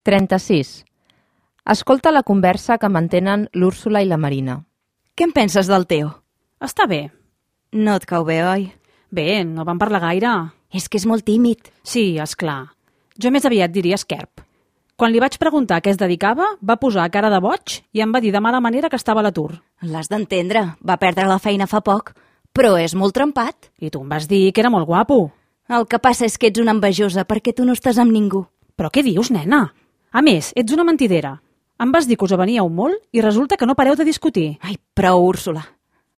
36. Escolta la conversa que mantenen l'Úrsula i la Marina. Què en penses del Teo? Està bé. No et cau bé, oi? Bé, no vam parlar gaire. És que és molt tímid. Sí, és clar. Jo més aviat diria esquerp. Quan li vaig preguntar a què es dedicava, va posar cara de boig i em va dir de mala manera que estava a l'atur. L'has d'entendre. Va perdre la feina fa poc, però és molt trempat. I tu em vas dir que era molt guapo. El que passa és que ets una envejosa perquè tu no estàs amb ningú. Però què dius, nena? A més, ets una mentidera. Em vas dir que us aveníeu molt i resulta que no pareu de discutir. Ai, prou, Úrsula.